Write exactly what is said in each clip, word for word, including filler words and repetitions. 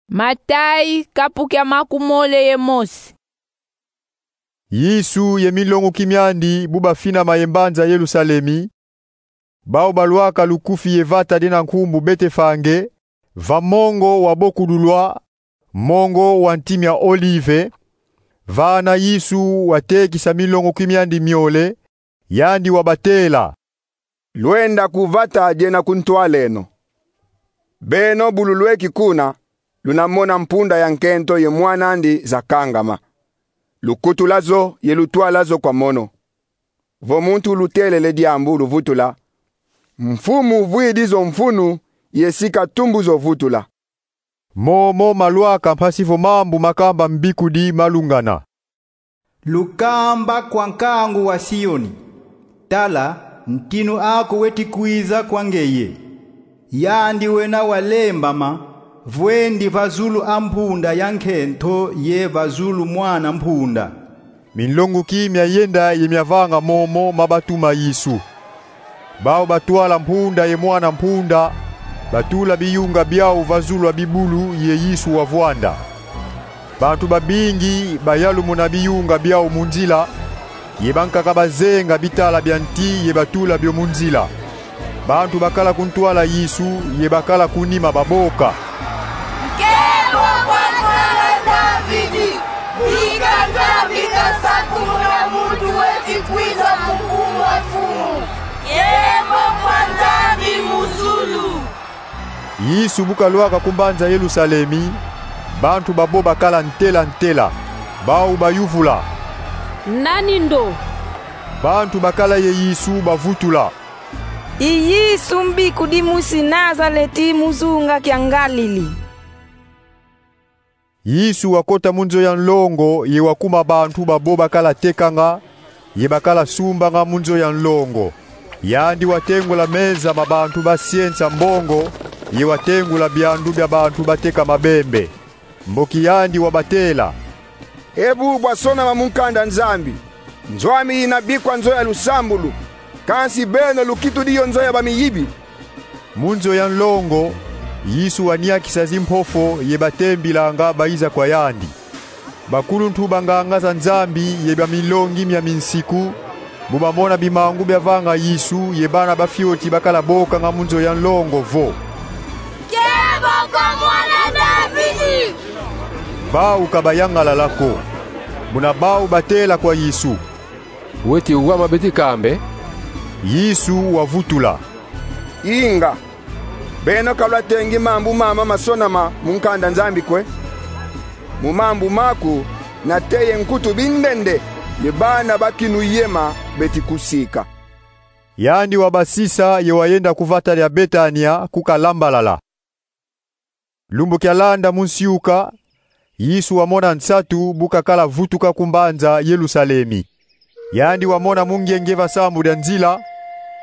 Matayi, kapu kia makumole ye mosi. Yesu ye minlonguki miandi bu bafinama ye mbanza Yerusalemi, bau balwaka lukufi ye vata diena nkumbu Betefage, va mongo wa bokudulwa, mongo wa nti mia Olive, vana Yesu watekisa minlonguki miandi miole, yandi wabatela: Lwenda ku vata diena kuntwaleno. Beno bu lulweki kuna, luna mona mpunda ya nkento ye mwan'andi zakangama. Lukutula zo ye lutwala zo kwa mono. Vo muntu ulutelele diambu, luvutula: Mfumu uvwidi zo mfunu, ye si katumbu zo vutula. Momo malwaka mpasi vo mambu makamba mbikudi malungana. Lukamba kwa nkangu wa Sioni: Tala, ntinu aku weti kwiza kwa ngeye. Yandi wena walembama, vwendi va zulu a mpunda ya nkento ye va zulu mwana mpunda. Minlonguki miayenda ye miavanga momo mabatuma Yesu. Bau batwala mpunda ye mwana mpunda, batula biyunga biau va zulu a bibulu ye Yesu wavwanda. Bantu babingi bayalumuna biyunga biau mu nzila, ye bankaka bazenga bitala bia nti ye batula bio mu nzila. Bantu bakala kuntwala Yesu ye bakala ku nima baboka: Nkembo kwa Mwana Davidi! Bika Nzambi kasakumuna muntu weti kwiza mu nkumbu a Mfumu! Nkembo kwa Nzambi mu zulu! Yesu bu kalwaka ku mbanza Yerusalemi, bantu babo bakala ntela ntela. Bau bayuvula: Nani ndo? Bantu bakala ye Yesu bavutula: I Yesu mbikudi musi Nazaleti, mu zunga kia Ngalili. Yesu wakota mu nzo ya nlongo ye wakuma bantu babo bakala tekanga ye bakala sumbanga mu nzo ya nlongo. Yandi watengula meza ma bantu basiensa mbongo, ye watengula biandu bia bantu bateka mabembe. Mboki yandi wabatela: E bu bwasonama mu nkanda Nzambi: Nzo ami yina bikwa nzo ya lusambulu, kansi beno lukitudi yo nzo ya bamiyibi. Mu nzo ya nlongo, Yesu waniakisa zimpofo ye batembilanga bayiza kwa yandi. Bakuluntu ba nganga za Nzambi ye ba minlongi mia minsiku, bu bamona bimangu biavanga Yesu ye bana ba fioti bakala bokanga mu nzo ya nlongo vo: Nkembo kwa Mwana Davidi! Bau ka bayangalala ko. Muna bau batela kwa Yesu: Weti wama beti kambe? Yesu wavutula: Inga. Beno ka lwatengi mambu mama masonama mu nkanda Nzambi kwe? Mu mambu maku, nate ye nkutu bindende ye bana ba kinuyema beti kusika. Yandi wabasisa ye wayenda ku vata dia Betania ku kalambalala. Lumbu kialanda mu nsiuka, Yesu wamona nsatu bu kakala vutuka ku mbanza Yerusalemi. Yandi wamona mungenge va sambu dia nzila,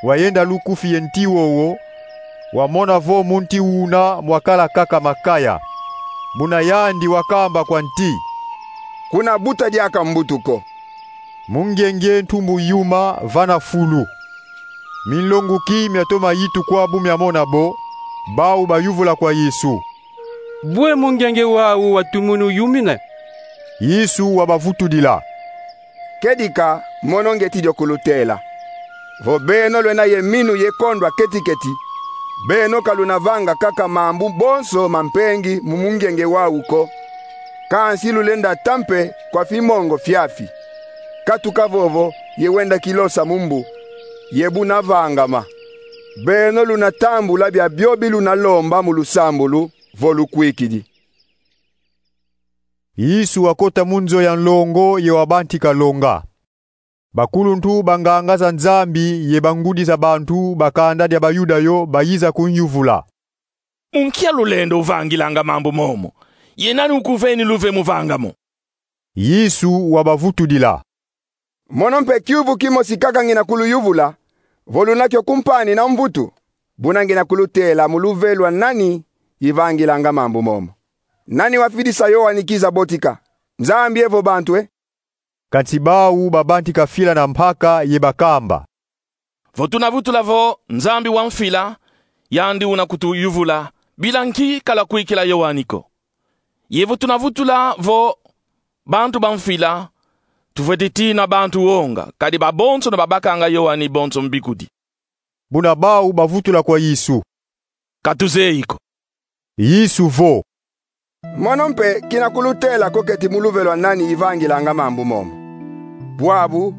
wayenda lukufi ye nti wowo, wamona vo mu nti wuna mwakala kaka makaya. Buna yandi wakamba kwa nti: Kuna buta diaka mbutu ko. Mungenge ntumbu yuma vana fulu. Minlonguki miatoma yitukwa bu miamona bo, bau bayuvula kwa Yesu: Bwe mungenge wau watumunu yumina? Yesu wabavutudila: Kedika, mono ngeti dio kulutela. Vo beno lwena ye minu ye kondwa keti-keti, beno ka luna vanga kaka mambu bonso ma mpengi mu mungenge wau ko, kansi lulenda ta mpe kwa fimongo fiafi: Katuka vovo ye wenda kilosa mu mbu, ye buna vangama. Beno luna tambula bia biobi luna lomba mu lusambulu, vo lukwikidi. Yesu wakota mu nzo ya nlongo ye wabantika longa. Bakuluntu ba nganga za Nzambi ye bangudi za bantu ba kanda dia Bayuda yo bayiza kunyuvula: Mu nkia lulendo uvangilanga mambu momo? Ye nani ukuveni luve mu vanga mo? Yesu wabavutudila: Mono mpe kiuvu kimosi kaka ngina kuluyuvula: vo luna kio kumpani na mvutu, buna ngina kulutela mu luve lwa nani ivangilanga mambu momo. Nani wafidisa Yoani kiza botika, Nzambi evo bantu e? Kansi bau babantika fila na mpaka ye bakamba: Vo tuna vutula vo Nzambi wamfila, yandi una kutuyuvula bila nki kalwa kwikila Yoani ko. Ye vo tuna vutula vo bantu bamfila, tufwete tina bantu wonga, kadi babonsono babakanga Yoani bonso mbikudi. Buna bau bavutula kwa Yesu: Ka tuzeyi ko. Yesu vo: Mono mpe kina kulutela ko keti mu luvelo lwa nani ivangilanga mambu momo. Bwabu,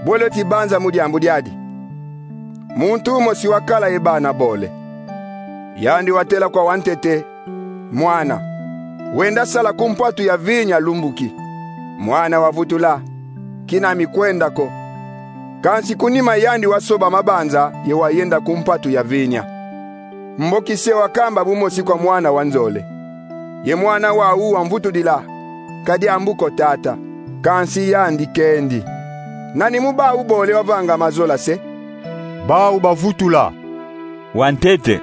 bwele ti banza mu diambu diadi. Muntu mosi wakala ye bana bole. Yandi watela kwa wantete: Mwana, wenda sala ku mpatu ya vinya lumbu ki. Mwana wavutula: Kina mi kwenda ko. Kansi ku nima yandi wasoba mabanza ye wayenda ku mpatu ya vinya. Mboki se wakamba bu mosi kwa mwana wa nzole. Ye mwana wau wamvutudila: Ka diambu ko, tata. Kansi yandi kendi. Nani mu bau bole wavanga mazola se? Bau bavutula: Wantete.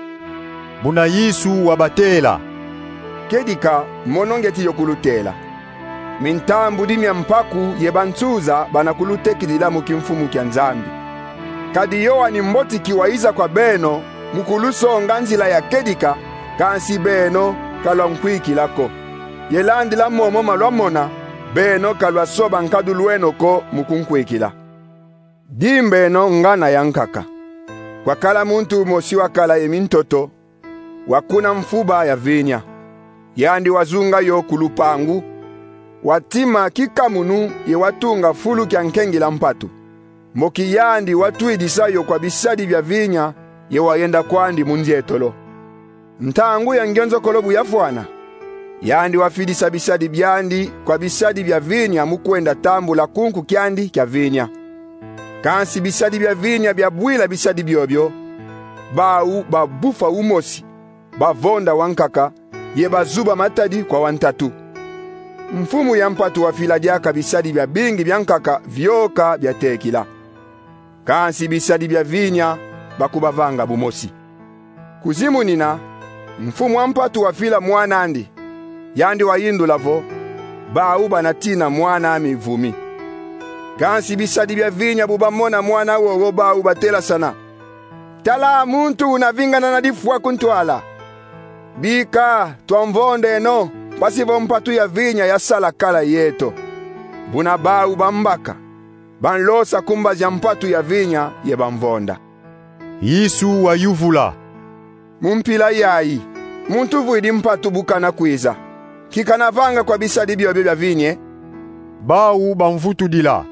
Buna Yesu wabatela: Kedika, mono ngieti yo kulutela. Mintambudi mia mpaku ye bansuza bana kulutekidila mu kimfumu kia Nzambi. Kadi Yoani Mbotiki wayiza kwa beno mu kulusonga nzila ya kedika, kansi beno ka lwankwikila ko. Ye landila momo ma lwamona, beno ka lwasoba nkadulu eno ko mu kunkwikila. Dimbeno ngana ya nkaka. Kwakala muntu mosi wakala ye mintoto, wakuna mfuba ya vinya. Yandi wazunga yo ku lupangu, watima kikamunu ye watunga fulu kia nkengila mpatu. Mboki yandi watwidisa yo kwa bisadi bia vinya ye wayenda kwandi mu nzietolo. Ntangu ya ngenzokolo bu yafwana, yandi wafidisa bisadi biandi kwa bisadi bia vinya mu kwenda tambula kunku kiandi kia vinya. Kansi bisadi bia vinya biabwila bisadi biobio, bau babufa umosi, bavonda wankaka, ye bazuba matadi kwa wantatu. Mfumu ya mpatu wafila diaka bisadi biabingi bia nkaka vioka biatekila. Kansi bisadi bia vinya bakubavanga bu mosi. Kuzimunina, mfumu a mpatu wafila mwan'andi. Yandi wayindula vo: Bau bana tina mwan'ami vumi. Kansi bisadi bia vinya bu bamona mwana wowo, bau batelasana: Tala muntu una vingana na difwa ku ntwala. Bika, twamvondeno, mpasi vo mpatu ya vinya yasala kala yeto. Buna bau bambaka, banlosa ku mbazi a mpatu ya vinya ye bamvonda. Yesu wayuvula: Mu mpila yayi, muntu vwidi mpatu bu kana kwiza, ki kana vanga kwa bisadi biobio bia vinya e? Bau bamvutudila: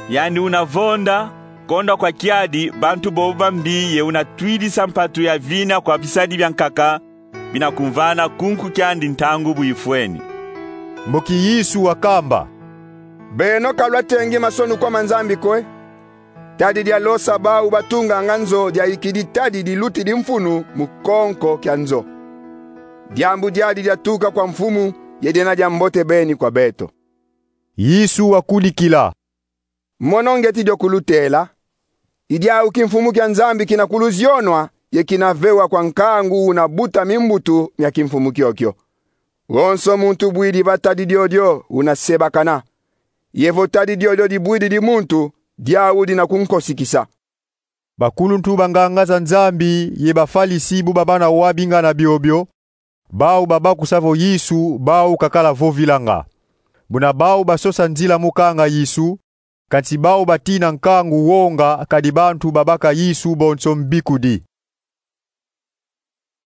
Yandi una vonda, kondwa kwa kiadi bantu bobo bambi ye una twidisa mpatu ya vinya kwa bisadi bia nkaka, bina kumvana kunku kiandi ntangu bu ifweni. Mboki Yesu wakamba: Beno ka lwatengi masonu kwa ma Nzambi ko e? Tadi dialosa bau batunganga nzo diayikidi tadi dilutidi mfunu mu konko kia nzo. Diambu diadi diatuka kwa mfumu ye diena dia mbote beni kwa beto. Yesu wakudikila: Mono ngieti dio kulutela: I diau kimfumu kia Nzambi kina kuluzionwa ye kina vewa kwa nkangu una buta mimbutu mia kimfumu kiokio. Wonso muntu bwidi va tadi diodio una sebakana. Ye vo tadi diodio dibwididi muntu, diau dina kunkosikisa. Bakuluntu ba nganga za Nzambi ye Bafalisi bu babana wa bingana biobio, bau babakusa vo Yesu bau kakala vovilanga. Buna bau basosa nzila mu kanga Yesu, kansi bau batina nkangu wonga kadi bantu babaka Yesu bonso mbikudi.